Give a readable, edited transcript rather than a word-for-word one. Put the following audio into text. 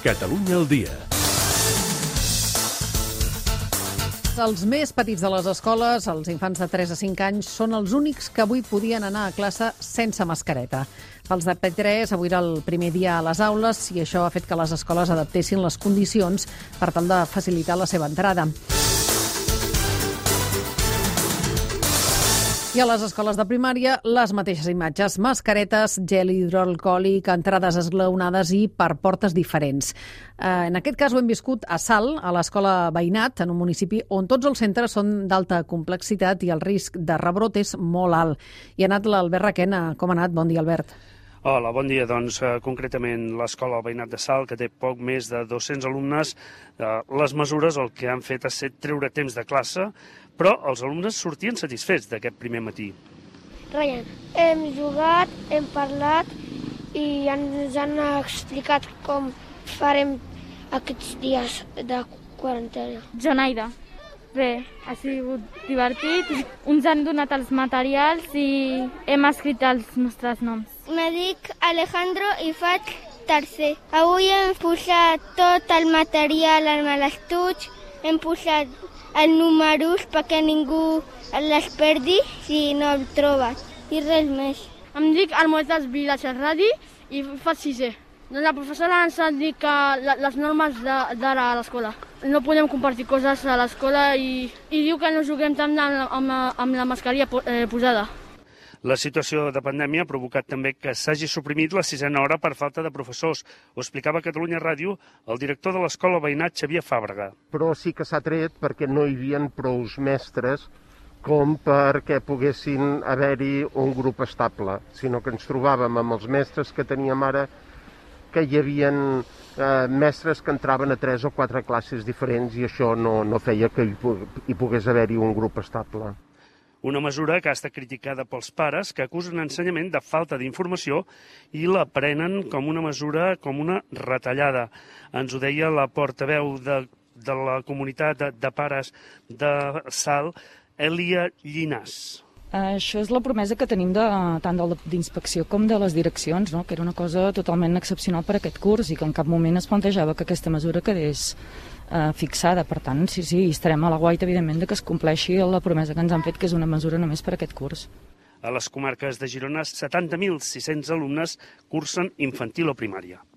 Catalunya al dia. Els més petits de les escoles, els infants de 3 a 5 anys, són els únics que avui podien anar a classe sense mascareta. Pels de P3, avui era el primer dia a les aules i això ha fet que les escoles adaptessin les condicions per tal de facilitar la seva entrada. I a les escoles de primària, les mateixes imatges, mascaretes, gel hidroalcohòlic, entrades esglaonades i per portes diferents. En aquest cas ho hem viscut a Salt, a l'escola Veïnat, en un municipi on tots els centres són d'alta complexitat i el risc de rebrot és molt alt. I ha anat l'Albert Requena. Com ha anat? Bon dia, Albert. Hola, bon dia. Doncs concretament l'escola Veïnat de Salt, que té poc més de 200 alumnes, les mesures el que han fet ha estat treure temps de classe, però els alumnes sortien satisfets d'aquest primer matí. Ryan, hem jugat, hem parlat i ens han explicat com farem aquests dies de quarantena. Jonaida. Bé, ha sigut divertit. Ens han donat els materials i hem escrit els nostres noms. Me dic Alejandro i faig tercer. Avui hem posat tot el material en l'estuig, hem posat els números perquè ningú les perdi si no el troba. I res més. Em dic Almoedas Vilaches Radi i faig sisè. La professora ens ha dit que les normes d'ara a l'escola. No podem compartir coses a l'escola i diu que no juguem tant amb la mascarilla posada. La situació de pandèmia ha provocat també que s'hagi suprimit la 6a hora per falta de professors. Ho explicava a Catalunya Ràdio el director de l'escola Veïnat, Xavier Fàbrega. Però sí que s'ha tret perquè no hi havia prous mestres com perquè poguessin haver-hi un grup estable, sinó que ens trobàvem amb els mestres que teníem ara, que hi havia mestres que entraven a 3 o 4 classes diferents i això no feia que hi pogués haver-hi un grup estable. Una mesura que ha estat criticada pels pares que acusen l'ensenyament de falta d'informació i la prenen com una mesura, com una retallada. Ens ho deia la portaveu de la comunitat de pares de Salt, Èlia Llinàs. Això és la promesa que tenim tant d'inspecció com de les direccions, no? Que era una cosa totalment excepcional per aquest curs i que en cap moment es plantejava que aquesta mesura quedés fixada. Per tant, sí, estarem a la guaita, evidentment, que es compleixi la promesa que ens han fet, que és una mesura només per aquest curs. A les comarques de Girona, 70.600 alumnes cursen infantil o primària.